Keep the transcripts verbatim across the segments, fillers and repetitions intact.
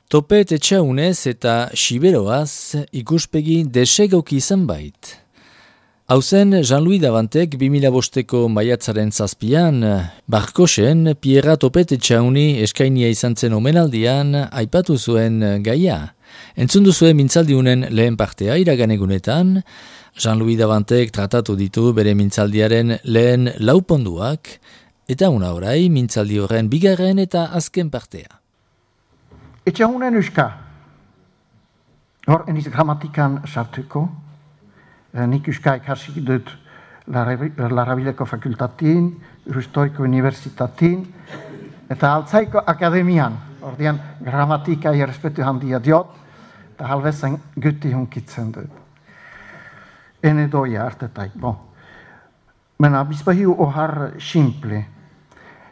Topet etxaunez eta siberoaz ikuspegi desegoki izan bait. Hauzen, Jean-Louis Davantek bi mila bosteko maiatzaren zazpian, Barkosen Pierra Topet etxauni eskainia izan zen omenaldian aipatu zuen gaia. Entzundu zuen mintzaldiunen lehen partea iragan egunetan, Jean-Louis Davantek tratatu ditu bere mintzaldiaren lehen lauponduak, eta una orai mintzaldi horren bigarren eta azken partea. Etxahunen uska, hor eniz gramatikan sartuko, nik uska ikasi dut Larabileko fakultatin, Rustoiko universitatin, eta altzaiko akademian, ordean gramatika errespetu handia diot, eta halbezen guti hunkitzen dut. Ene doia artetaik, bon. Mena, bizpahiu ohar simple.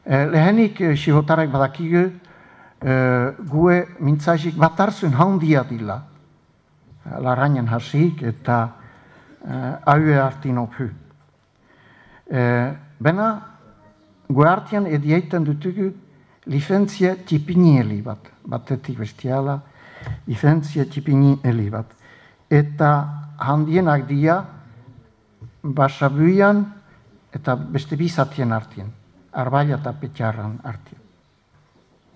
Lehenik sihotarek badakigu, Uh, gue mintzazik batarzun handia dila. Larainen hasik eta uh, aue artin ophu. Uh, bena, gue artian edieiten dutugu licentzia tipinieli bat. Batetik bestiala, licentzia tipinieli bat. Eta handienak dia basabuian eta beste bizatien artien. Arbaia eta petxarran artien.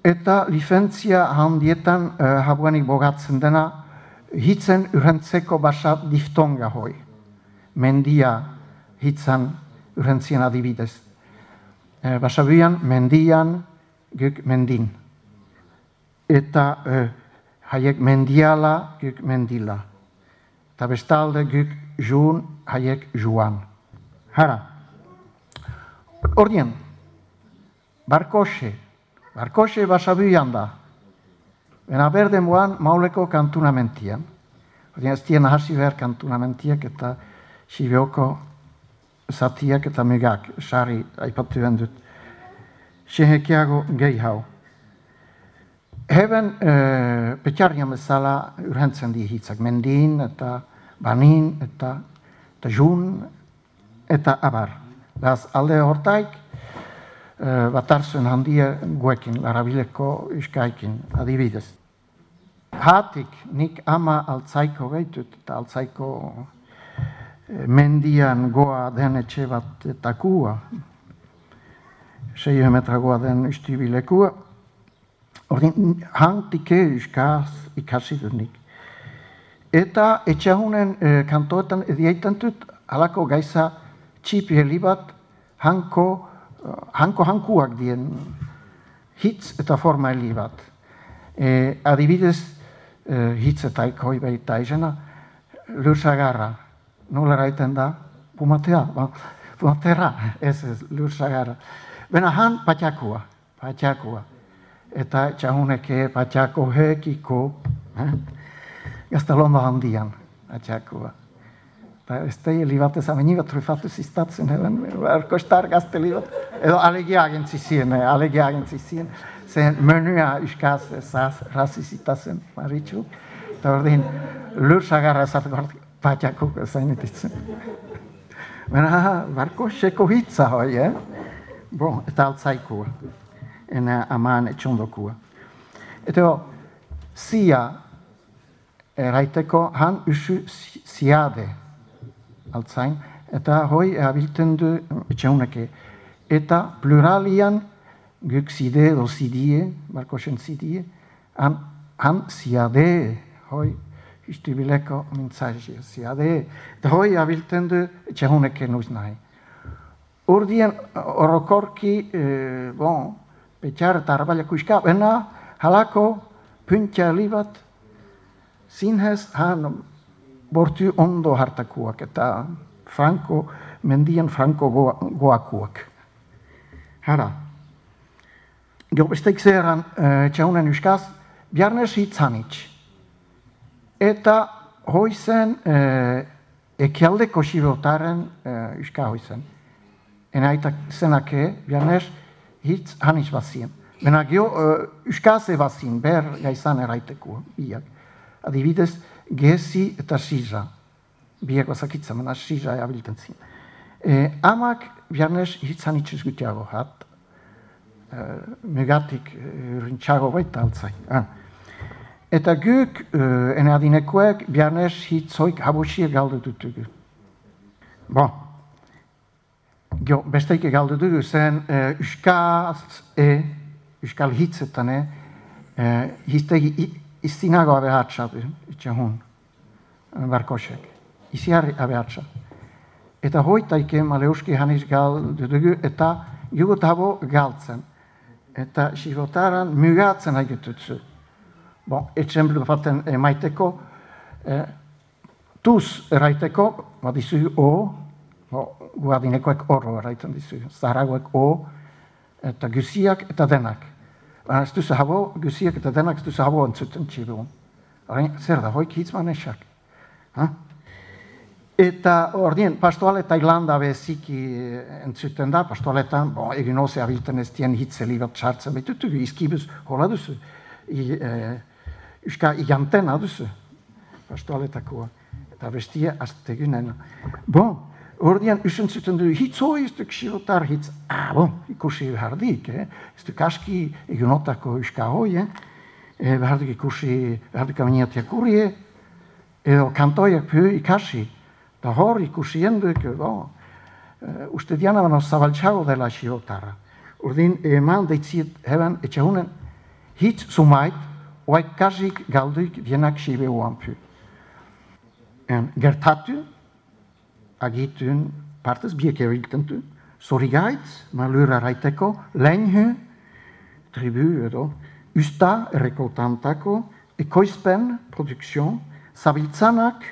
Eta licentzia handietan uh, habuanik bogatzen dena hitzen urrentzeko basa diftonga hoi. Mendia hitzan urrentzien adibidez. Uh, Basabuian mendian guk mendin. Eta uh, haiek mendiala guk mendila. Eta bestalde guk juun haiek juan. Hara. Ordien, Barkose. Barkose basabuian da. Bena berde moan mauleko kantunamentian. Odien ez tien hasi behar kantunamentiak eta sibioko zatiak eta mugak. Sari aipatu dut. Sehekiago gehi hau. Heben e, petxarrian bezala urhentzen di hitzak. Mendin eta banin eta, eta jun eta abar. Beraz alde hortaik Uh, batarzuen handia guekin, Larabileko uskaikin, adibidez. Hatik, nik ama altzaiko behitut, eta altzaiko uh, mendian goa den etxe bat eta kua, sei metra goa den ustibilekua, ordin, hantike uskaz ikasi dut nik. Eta etxahunen uh, kantoetan edietan dut, halako gaiza txipi helibat, hanko, Hanko-hankuak dien hitz eta forma heli bat. E, adibidez, e, hitz eta ikoi behita izena, lursagarra. Nola raiten da? Pumatea. Ba, pumatera, ez ez, lursagarra. Bena han patxakua, patxakua. Eta txahuneke patxako hekiko, eh? Gaztalondo handian, patxakua. Ez da heli bat ez amenigat trufatu ziztatzen, erkostar gazte li bat. Edo alegia agentzi zien, alegia agentzi zien. Zen menua uskaz ezaz razizitazen, maritxu. Eta ordin, lursagarra ezartuko patxakuk zainetitzen. Bena, barko seko hitza hoi, eh? Bon, eta altzaikua. Ena aman etxondokua. Eta zia eraiteko han usu ziade. Altzain, eta hoi abilten du etxauneke. Eta pluralian guk zide edo zidie, barkosen zidie, han, han ziade, hoi istubileko mintzaji, ziade. Eta hoi abilten du etxauneke nuiz nahi. Urdien orokorki, eh, bon, petxar eta arbailako iska, bena halako puntia libat, zinhez, han, bortu ondo hartakuak eta franko, mendian franko goa, goakuak. Hara. Gero besteik zeran uh, txaunen uskaz, biarnez hitzanitz. Eta hoizen uh, ekialdeko sibotaren uh, uska hoizen. Enaitak zenake, biarnez hitz hanitz bazien. Bena gero uh, uskaze bazien, ber gaizan eraiteko biak. Adibidez, gezi eta siza. Bieko zakitzen, mena siza abilten zin. E, amak biarnez hitzan itxuz gutiago hat. E, megatik e, rintxago baita altzai. Ah. Eta guk, uh, ene adinekoek, biarnez hitzoik habusia galdu dutugu. Bo, besteik galdu dugu zen, uh, uskaz e, uskal hitzetan e, uh, hiztegi iztinago abehatxatu, itxahun, barkosek. Iziarri abehatxa. Eta hoitaike maleuski haniz galdu dugu, eta jugut habo galtzen. Eta sibotaran mugatzen haigututzu. Bon, etxemplu baten emaiteko, eh, tuz eraiteko, bat dizugu o, bo, guadinekoek oro eraiten dizugu, zaharagoek o, eta guziak eta denak. Baina ez duzu habo, guziak eta denak ez duzu habo entzuten txibuun. Zer da, hoik hitzman esak. Ha? Eta ordien, pastoale Tailanda beziki entzuten da, pastoaletan, bon, egin oze abilten ez dien hitzeli bat txartzen, betutu izkibuz hola duzu. I, eh, Euska igantena duzu, pastoaletakoa, eta bestia aztegunen. Bon, ordean usentzuten du, hitz hoi ez duk sirotar hitz, ah, bon, ikusi behardik, eh? Ez duk aski egunotako euska hoi, eh? E, behardik ikusi, behardik aminiatia kurie, edo kantoiak pio ikasi, da hor ikusi jenduk, bon, uh, uste diana bano zabaltxago dela sirotara. Ordean, eman deitziet heben, etxahunen, hitz sumait, oaik kasik galduik dienak sibe uanpu. Gertatu, agitun partez biek eriltentu, zorigaitz, malura raiteko, lehenhu, tribu edo, usta errekoltantako, ekoizpen, produksion, zabiltzanak,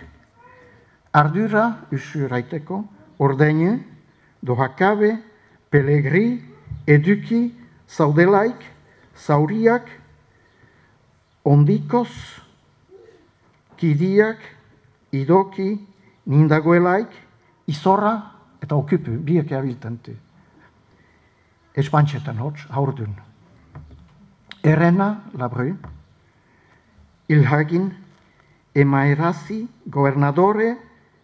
ardura usu raiteko, ordeinu, dohakabe, pelegri, eduki, zaudelaik, zauriak, ondikoz, kidiak, idoki, nindagoelaik, izorra eta okupu, biek abiltentu. Espantxetan hotz, haurdun. Erena, labru, ilhagin, emaerazi, gobernadore,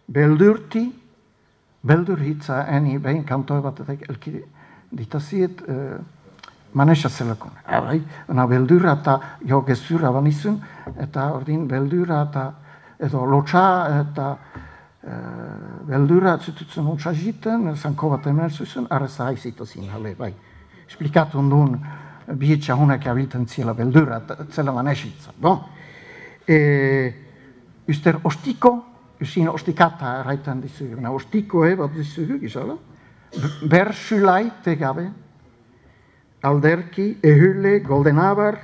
beldurti, beldur hitza, eni behin kantoe bat elki ditaziet, uh, manesa zelakon. Baina beldura eta jo gezurra banizun, eta ordin beldura eta edo lotxa eta e, beldura zututzen lotxa jiten, zanko bat emer zuzun, arreza haizitazin, hale, bai. Esplikatu ondun, bihetxa hunak abilten ziela beldura, zela manesitza. Bon. E, uster ostiko, usin ostikata erraitan dizugu. Na ostiko e, bat dizugu, gizala? Bersulai tegabe, alderki, ehule, goldenabar,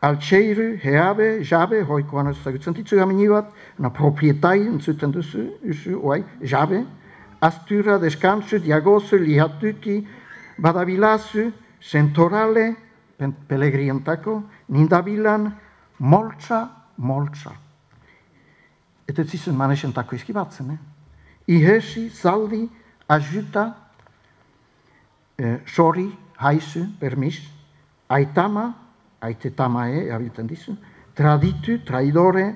altxeiru, heabe, jabe, hoikoan ez zagutzen ditzu gamini bat, na proprietai entzuten duzu, usu, oai, jabe, astura, deskantzu, diagozu, lihatuki, badabilazu, sentorale, pelegrientako, nindabilan, moltsa, moltsa. Eta zizun manesentako izkibatzen, eh? Ihesi, zaldi, ajuta, eh, sori, haizu, permis, aitama, aitetamae, abilten dizu, traditu, traidore,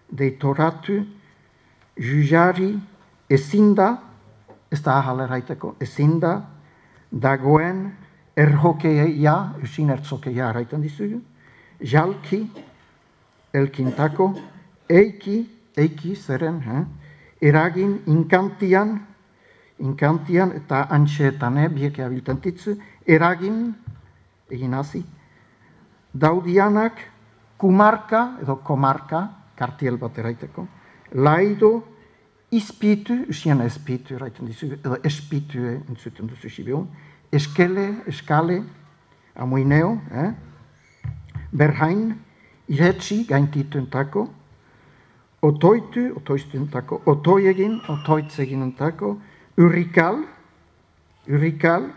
deitoratu, jujari, ezinda, ez da ahalera aiteko, ezinda, dagoen, erhokeia, usin ertzokeia araiten dizugu, jalki, elkintako, eiki, eiki, zeren, eh? Eragin, inkantian, inkantian eta antxeetane, bieke abilten ditzu, eragin, egin hazi, daudianak, kumarka, edo komarka, kartiel bat eraiteko, laido, izpitu, usien espitu eraiten dizu, edo espitu entzuten duzu sibion, eskele, eskale, amuineo, eh? Berhain, iretsi, gaintituntako, otoitu, otoiztuntako, otoiegin, otoitzeginentako, urrikal, urrikal,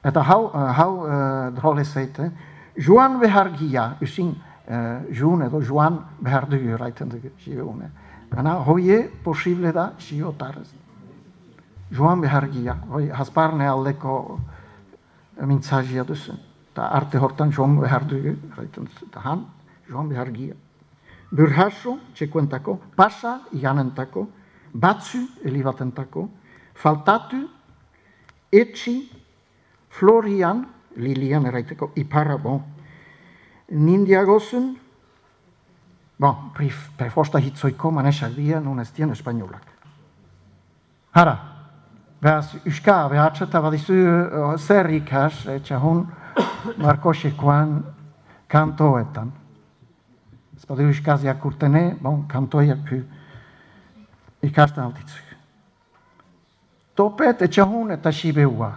eta hau, uh, hau uh, drole zeite, joan behargia, usin, uh, joan edo joan behardugu raiten dugu, sibeune. Gana, hoie posible da, siotarez. Joan behargia, hoi hasparne aldeko mintzazia duzu. Ta arte hortan joan behardugu raiten duzu. Ta han, joan behargia. Burhaso, txekuentako, pasa, iganentako, batzu, elibatentako, faltatu, etxi, florian, lilian eraiteko, iparra, bon, nindiagozun, Bon, prefosta hitzoiko manesak dira, nun ez dien espainolak. Hara, behaz, Euska, behatzeta badizu zer ikas, etxahun, Markosekoan kantoetan. Ez badu Euskaz jakurtene, bon, kantoiak pu ikasten altitzuk. Topet etxahun eta sibeua.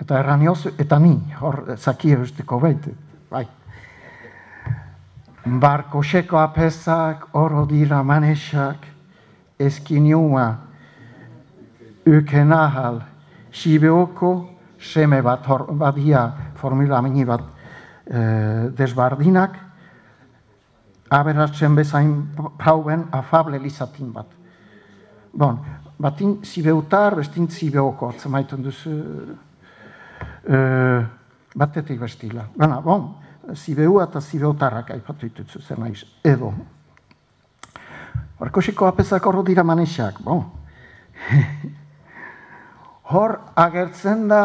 Eta erraniozu, eta ni, hor zakia usteko behitu, bai. Barkoseko apesak, oro dira manesak, eskinua, ukenahal, sibeoko, seme bat, hor badia, formula meni bat, e, desbardinak, aberatzen bezain prauen afable lizatin bat. Bon, batin zibeutar, bestin zibeoko, atzemaiten duzu, e, batetik bestila. Bana, bon, zibeua eta zibeutarrak aipatu dituzu zer naiz, edo. Barkoseko apesak horro dira manesak, bon. Hor agertzen da,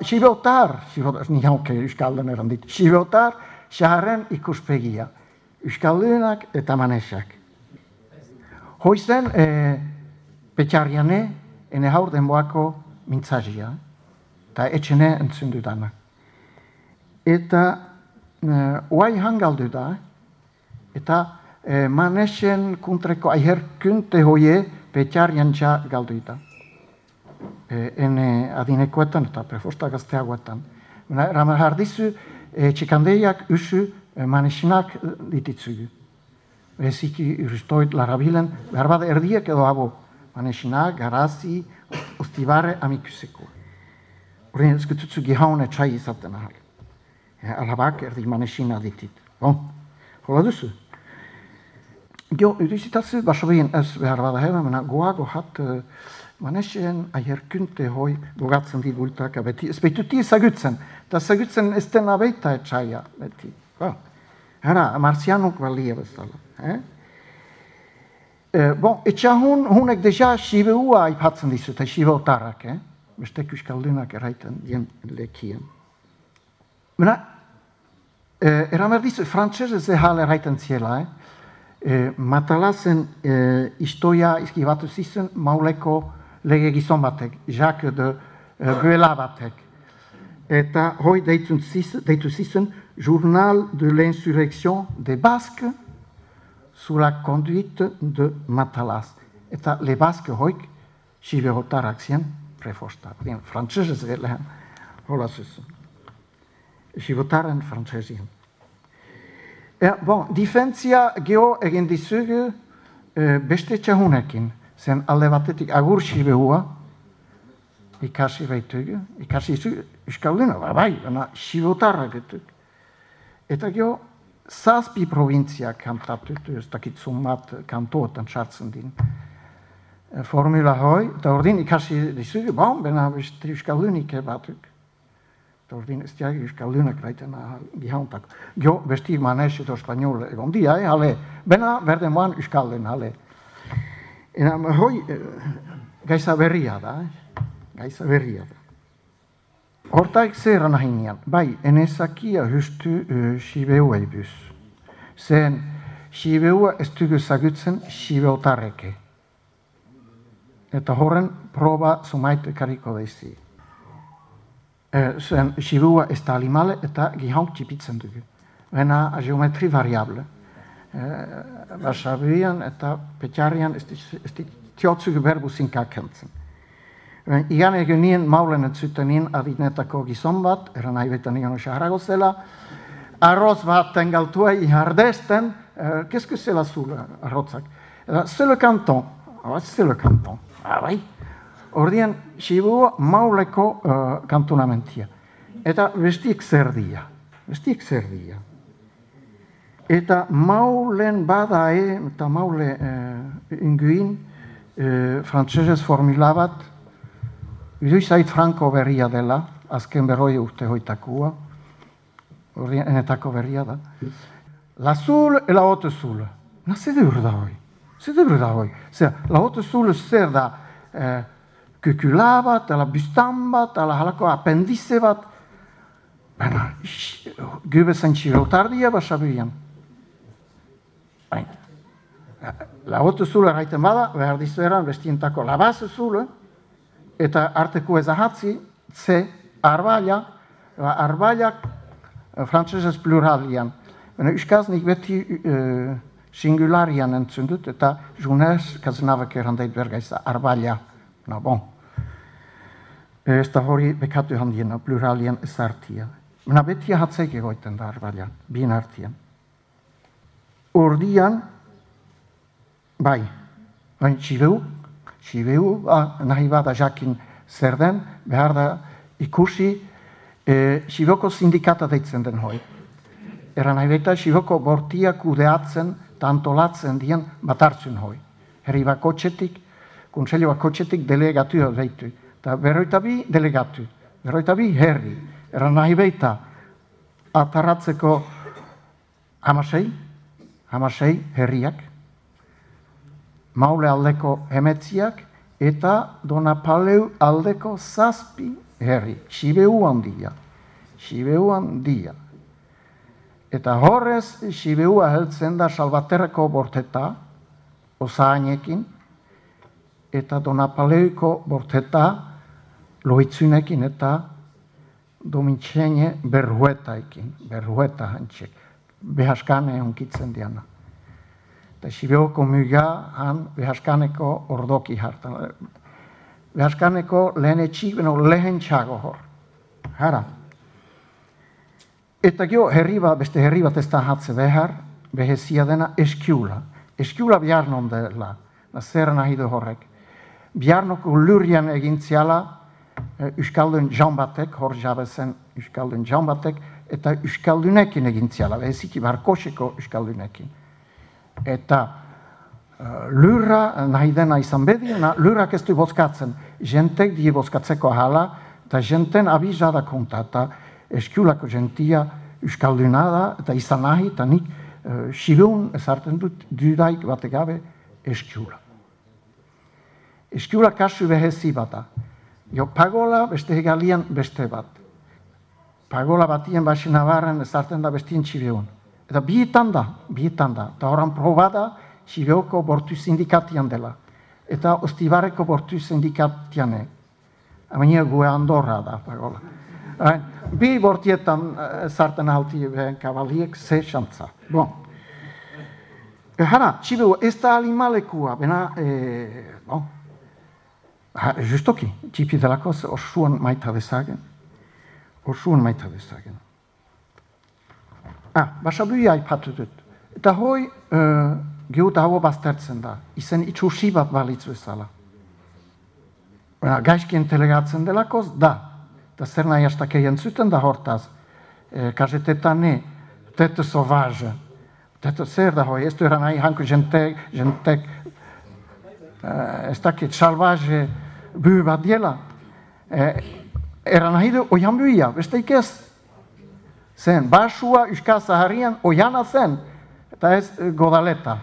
Sibeutar, ni hauke Euskalden erandit, Sibeutar, xaharren ikuspegia, Euskaldunak eta manesak. Hoizen, e, petxarriane, ene haur denboako mintzazia, eta etxene entzundu dana. Eta e, oai hangaldu da, eta e, manesen kuntreko aiherkunte hoie petxarrian txa galdu da. Ene adinekoetan eta prefosta gazteagoetan. Jardizu, txikandeiak usu manesinak dititzugu. Beziki uristoit larabilen, behar bada erdiek edo abo. Manesinak, garazi, ustibare amikuseko. Horren ezkututzu gihaun etxai izaten ahal. Alabak erdi manesina ditit. Bon, hola duzu. Gio, udizitazu, basobien ez behar bada heba, mena goago hat manesen aierkunte hoi bogatzen dit bultaka beti. Ez beituti ezagutzen. Eta ezagutzen ez dena beita etxaia beti. Ba. Hara, marzianuk balia bezala. Eh? E, bon, etxahun hunek deja sibeua aipatzen dizu, eta sibeutarrak, eh? Bestek euskaldunak eraiten dien lekien. Mena, e, eramer dizu, frantzese zehal eraiten ziela, eh? E, matalazen e, istoia izkibatu zizen mauleko lege gizon batek, Jacques de uh, Guela batek. Eta hoi deitu zizen Journal de l'insurrection des Basques sous la conduite de Matalas. Eta le Basque hoik siberotarak zien prefosta. Frantzese lehen, hola zuzen. Sibetaren frantzesien. Ja, bon, difentzia geho egin dizugu uh, beste txahunekin. Zen alde batetik agur sibehua, ikasi baitugu, ikasi izu, euskalduna, bai, baina sibotarrak etuk. Eta gero, zazpi provintziak kantatutu, ez dakitzun bat kantoetan sartzen din. Formula hoi, eta ordin ikasi dizugu, bon, baina beste euskaldunik batuk. Eta ordin ez diagi euskaldunak baiten gihauntak. Gero, besti manes eta espanol egon dia, eh, hale, baina berden moan euskaldun, hale. Eta hoi, gaiza berria da, eh? Gaiza berria da. Hortaik zer nahinean, bai, enezakia justu uh, sibeua ibuz. Zen, sibeua ez dugu zagutzen sibeutarreke. Eta horren proba zumaite kariko daizi. Uh, zen, sibeua ez da alimale eta gihauk txipitzen dugu. Bena geometri variable. Basabian eta petxarrian ez diotzugu berbusin kakentzen. Igan egunien maulen entzutenien adinetako gizon bat, eran nahi betan igan osaharago zela, arroz baten galtua ihardesten, kesku zela zula arrotzak. Zelo kanton, zelo kanton, abai. Ordien, sibua mauleko kantonamentia. Eta bestik zer dia, bestik zer dia. Eta maulen badae, eta maule uh, inguin, uh, frantzesez formula bat, iduizait franko berria dela, azken berroi urte hoitakua, enetako berria da. La zul e la ote zul. Na, zedur da hoi. Zedur da hoi. Zer, la ote zul zer da uh, kukula bat, ala bustan bat, ala halako apendize bat. Baina, gube zen txibeutardia basabian. Baina, lagotu zule gaiten bada, behar dizu eran bestientako labaz zule, eta arteko ezahatzi, ze, arbaila, arbailak frantzesez pluralian. Baina, euskaz nik beti uh, singularian entzun dut, eta junez, kazenabak erandait bergaiza, arbaila, na bon. Ez da hori bekatu handiena, pluralian ez hartia. Baina, beti ahatzeik egoiten da arbaila, bien hartian. Ordian, bai, baina txibeu, txibeu, ah, nahi bada jakin zer den, behar da ikusi, e, Xiboko sindikata deitzen den hoi. Era nahi baita Xiboko bortia kudeatzen eta antolatzen dien bat hartzen hoi. Herri bakotxetik, konselio bakotxetik delegatu deitu. Eta berroita bi delegatu, berroita bi herri. Era nahi baita atarratzeko hamasei, hamasei herriak, Maule aldeko emetziak, eta Donapaleu aldeko zazpi herri. Xibeu handia, Xibeu handia. Eta horrez, Xibeua heltzen da Salvaterreko borteta, osaanekin, eta Donapaleuko borteta, loitzunekin eta Domintxene berruetaekin, berrueta hantxek, behaskane onkitzen diana. Eta Xibeuko muga han behaskaneko ordoki hartan. Behaskaneko lehen etxik, beno lehen txago hor. Hara. Eta gero herri bat, beste herri bat ez da hatze behar, behezia dena eskiula. Eskiula biarnon dela, zer nahi du horrek. Biarnoko lurian egintziala, Euskaldun jaun batek, hor jabezen Euskaldun jaun batek, eta Euskaldunekin egintziala, beheziki barkoseko Euskaldunekin. Eta uh, lurra nahi dena izan bedien, lurrak ez du bozkatzen. Jentek die bozkatzeko ahala, eta jenten abizada konta, eta eskiulako jentia Euskalduna da, eta izan nahi, eta nik uh, Xibeun ezartzen dut dudaik bategabe eskiula. Eskiula kasu behezi bata. Jo, pagola beste hegalian beste bat. Pagola batien basi nabarren ezartzen da bestien Xibeun. Eta bietan da, bietan da. Eta horan probada Xibeoko bortu sindikatian dela. Eta Ostibarreko bortu sindikatiane. Amenia gue Andorra da, pagola. Bi bortietan ezartzen alti behen kabaliek ze xantza. Bon. Hara, Xibeu ez da alimalekua, bena, e, bon. Ha, justoki, txipi delakoz orsuan maita bezagen. Orsuan maita bezagen. Ah, basabuia aipatu dut. Eta hoi, uh, gehuta hau baztertzen da. Izen itxusi bat balitzu ezala. Gaizkien telegatzen delakoz, da. Eta zer nahi hastakei entzuten da hortaz. E, Kazetetan ne, tete sauvage. Tete zer da hoi, ez du eran nahi hanko jentek, jentek, uh, ez dakit, salvaje, bu bat diela. E, eran nahi du, oian buia, besteik ez. Zen, basua Euskal Zaharian oiana zen, eta ez godaleta.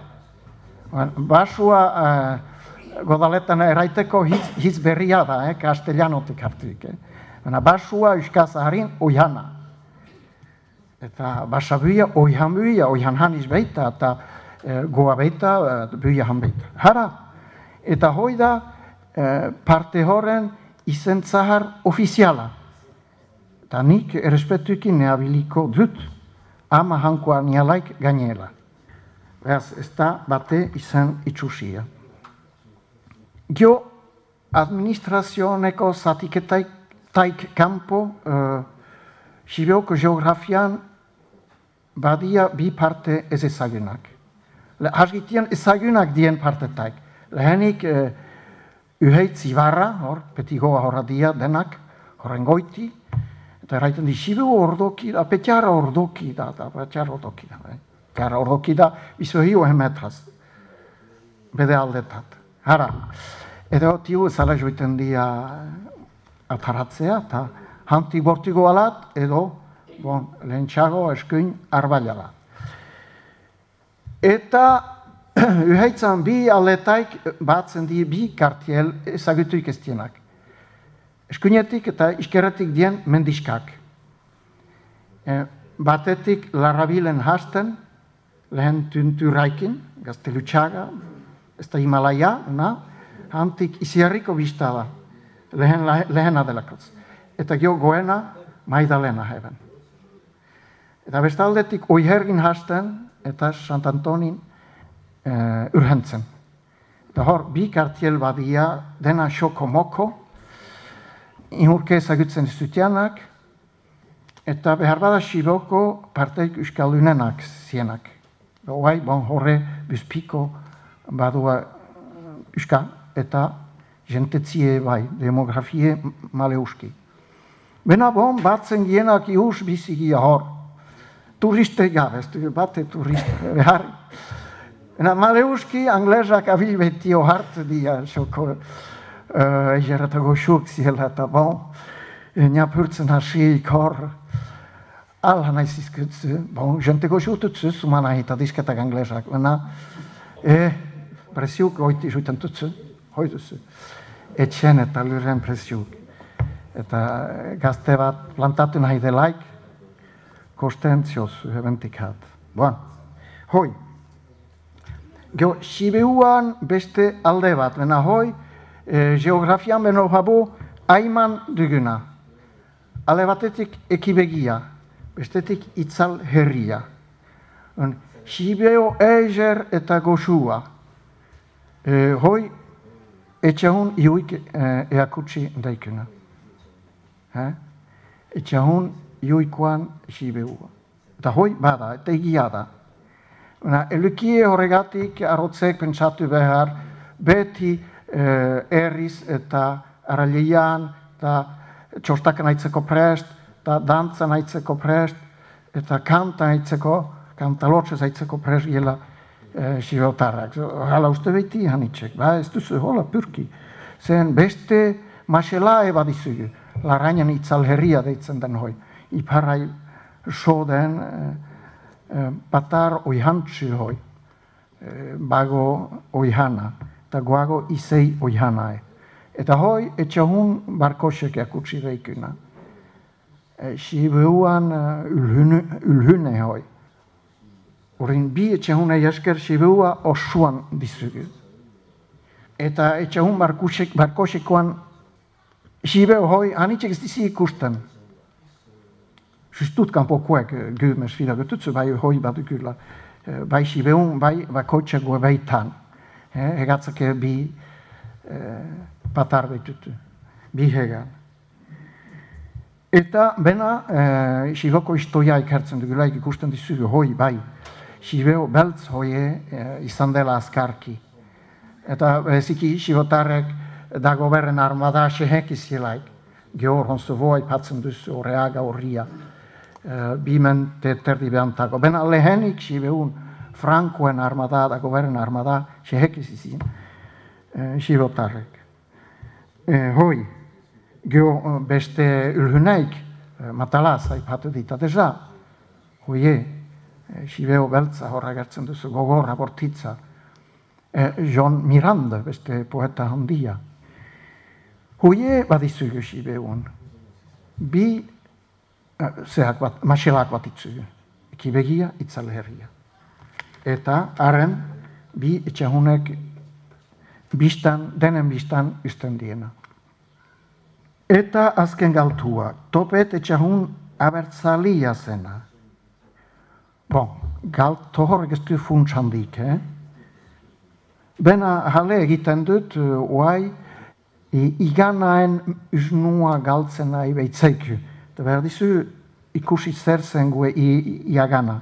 Basua uh, godaletan eraiteko hitz, hitz berria da, eh, kastellanotik hartuik. Eh. Basua Euskal Zaharian oiana. Eta basabuia oian buia, oian haniz beita, eta uh, goa beita, uh, buia han beita. Hara, eta hoi da uh, parte horren izen zahar ofiziala. Eta nik errespetuekin neabiliko dut, ama hankoa nialaik gainela. Beraz, ez da bate izan itxusia. Gio, administrazioneko zatiketaik taik kanpo, uh, Xibeoko geografian badia bi parte ez ezagunak. Hasgitian ezagunak dien partetaik. Lehenik uh, uheit zibarra, hor, petigoa horra dia denak, horren goiti, eta erraiten di, Xibeu ordoki da, petiara ordoki da, da petiara ordoki da. Eh? Petiara ordoki da, bizo hio emetraz, bede aldetat. Hara, edo tiu zala joiten dia ataratzea, eta hantik bortigo alat, edo, bon, lehentxago eskuin arbaiala. Eta uheitzan bi aletaik batzen di bi kartiel ezagutuik ez dienak. Eskuinetik eta iskerretik dien mendiskak. E, batetik Larrabilen hasten, lehen tunturaikin, Gaztelutxaga, ez da Himalaya, na, hantik iziarriko bizta da, lehen, lehena delakotz. Eta gio goena, Maidalena heben. Eta bestaldetik oihergin hasten, eta Sant Antonin uh, urhentzen. Eta hor, bi kartiel badia, dena xoko-moko, inurke ezagutzen zutianak, eta behar bada xiboko parteik euskaldunenak zienak. Hoai, bon, horre, bizpiko badua euskal, eta jentetzie bai, demografie maleuski. Bena bon, batzen gienak ius bizigia hor. Turiste gabe, ez du bate turiste behar. Bena maleuski, anglesak abil betio hart dia, xoko egeratago xuk ziela, eta bon, niapurtzen hasiik hor, ala nahiz izkutzu, bon, jenteko xututzu, suman ahita disketak anglesak, bena, e, presiuk oiti xuten tutzu, hoituzu, etxen eta lurren presiuk. Eta gazte bat plantatu nahi delaik, kostentzioz ebentik hat. Bon, hoi. Geo, Sibeuan beste alde bat, bena hoi, e, geografian beno habu aiman duguna. Ale batetik ekibegia, bestetik itzal herria. Sibeo eiger eta goxua. E, hoi, etxahun iuik e, eakutsi daikuna. Eh? Etxahun iuikoan Sibeua. Eta hoi bada, eta egia da. Elukie horregatik arrotzek pentsatu behar, beti eh, erriz eta arrailean, eta txostakan aitzeko prest, eta dantzan aitzeko prest, eta kantan aitzeko, kantalotxez aitzeko prest gila eh, Sibeotarrak. Hala uste beti hanitzek, ba, ez duzu, hola, purki. Zen beste masela eba dizugu. Larainan itzal herria deitzen den hoi. Iparai soden eh, eh, batar oihantzu hoi. Eh, bago oihana. Eta goago izei oihanae. Eta hoi etxahun barkosek akutsi deikuna. Eh, Sibeuan uh, ulhune, ulhune hoi. Horin bi etxahun esker Sibeua osuan dizugu. Eta etxahun barkosek, barkosekoan Sibeu hoi, hanitxek ez dizi ikusten. Justut kanpokoek gymes fila gututzu, bai hoi badukula. Bai Sibeun, bai bakoitzak baitan. Hegatzake bi patar beitutu, bi hegan. Eta bena, Siboko istoia ikertzen dugulaik ikusten dizugu, hoi, bai. Sibeu beltz hoie izan dela azkarki. Eta beziki Sibotarrek da goberren armada xehek izilaik, gehor honzu voa ipatzen duzu horreaga horria, bimen te terdi behantago. Bena lehenik Sibeun Frankoen armada, da goberren armada xehek izizin, Sibotarrek. Hoi, geho beste ulhuneik, matalaz aipatu dita deja, hoie, Sibeo beltza horra gertzen duzu, gogorra bortitza, John Miranda, beste poeta handia. Hoie badizugu Sibeun, bi zehak bat, maselak bat itzugu, ekibegia, itzal herria. Eta haren, bi etxahunek biztan, denen biztan usten diena. Eta azken galtua, topet etxahun abertzalia zena. Bon, galto horrek ez du funts handik, eh? Bena jale egiten dut, oai, iganaen usnua galtzen nahi behitzeiku. Eta behar dizu ikusi zer zen gue iagana.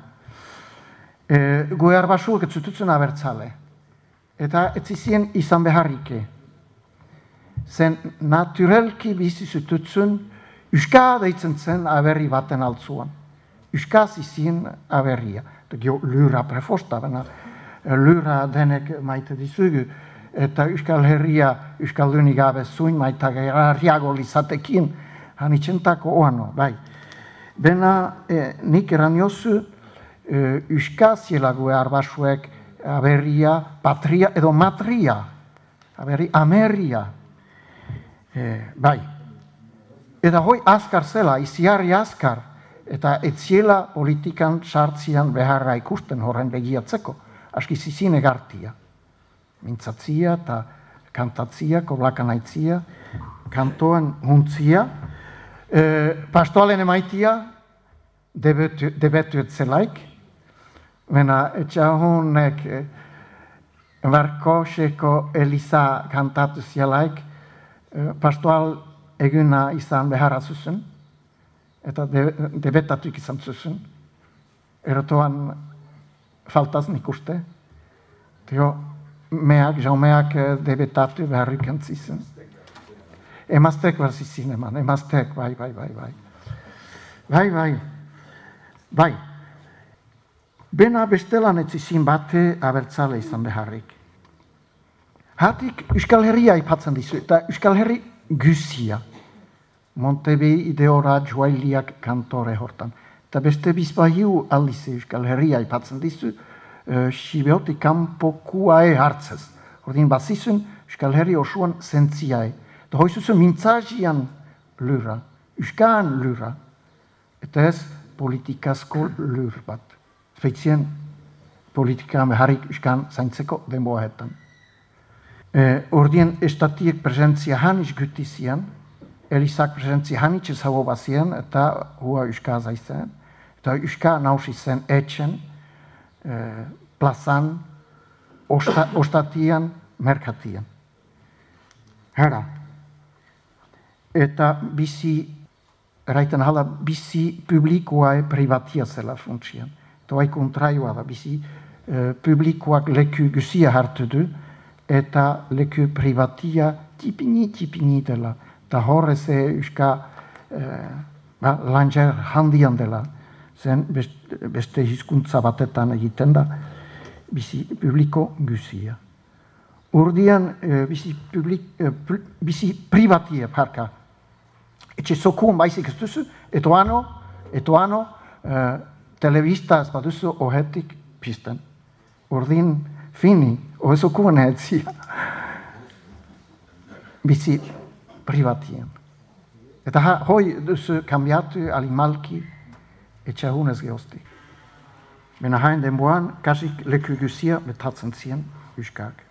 E, gue arbasuak ez zututzen abertzale. Eta ez izien izan beharrike. Zen naturelki bizi zututzen, uska deitzen zen aberri baten altzuan. Uskaz izien aberria. Eta gio lura prefosta, bena lura denek maite dizugu. Eta Euskal Herria, Euskaldunik gabe zuin, maita garriago lizatekin, hanitxentako oano, bai. Bena, eh, nik eraniozu, eh, Euskazielague arbasuek aberria, patria edo matria, aberri, ameria, eh, bai. Eta hoi azkar zela, iziarri azkar, eta etziela politikan sartzian beharra ikusten horren begiatzeko, aski zizin egartia. Mintzatzia eta kantatzia, koblakanaitzia, kantoan huntzia, e, pastoalen emaitia, debetu, debetu etzelaik, mena etxahunek e, Barkoseko Elisa kantatu zialaik, e, pastoal eguna izan beharra zuzen, eta de, debetatuk izan zuzen. Erotoan faltaz nik uste. Teo, meak, jaumeak debetatu beharrik entzisen. Emaztek barzizin eman, emaztek, bai, bai, bai, bai. Bai, bai, bai. Bena bestelan etzizin bate abertzale izan beharrik. Hatik Euskal Herria ipatzen dizu, eta Euskal Herri guzia. Montebe ideora joailiak kantore hortan. Eta beste bizpahiu aldize Euskal Herria ipatzen dizu, uh, sibeotik kanpokuae hartzez. Ordin bazizun Euskal Herri osuan zentziae. Eta hoizuzun mintzazian lura, Euskaan lura, eta ez politikazko lur bat. Feitzien politika beharrik Euskaan zaintzeko denboaetan. E, ordien estatiek presentzia haniz gutizian, Elizak presentzia hanitz ezago bazien, eta hua Euska zaizen, eta Euska nausi zen etxen, e, plazan, osta, ostatian, merkatian. Hera. Eta bizi, eraiten hala, bizi publikoa privatia zela funtsian. Eta bai kontraioa da, bizi e, publikoak leku guzia hartu du, eta leku privatia tipini, tipini dela. Eta horrez euska eh, ba, langer handian dela. Zen beste, beste hizkuntza batetan egiten da, bizi publiko guzia. Urdian eh, bizi, publik, eh, bizi privatia parka. Etxe zokuan baizik ez duzu, etoano, etoano, eh, telebista ez baduzu ohetik pisten. Urdin fini, ohezokuan etzia. Bizi privatien. Eta ha, hoi duzu kambiatu alimalki etxahunez geosti. Bena hain denboan, kasik leku guzia betatzen zien Euskak.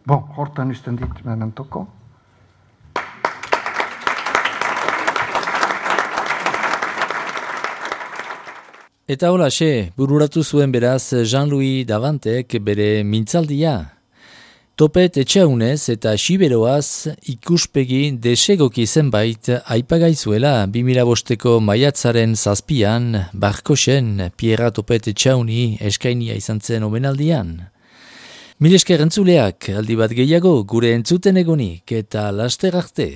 Bon, hortan usten dit mementoko. Eta hola, xe, bururatu zuen beraz Jean-Louis Davantek bere mintzaldia. Topet etxaunez eta siberoaz ikuspegi desegoki zenbait aipagaizuela bi mila bosteko maiatzaren zazpian Barkosen Pierra Topet etxauni eskainia izan zen omenaldian. Mil esker entzuleak, aldi bat gehiago gure entzuten egonik eta laster arte.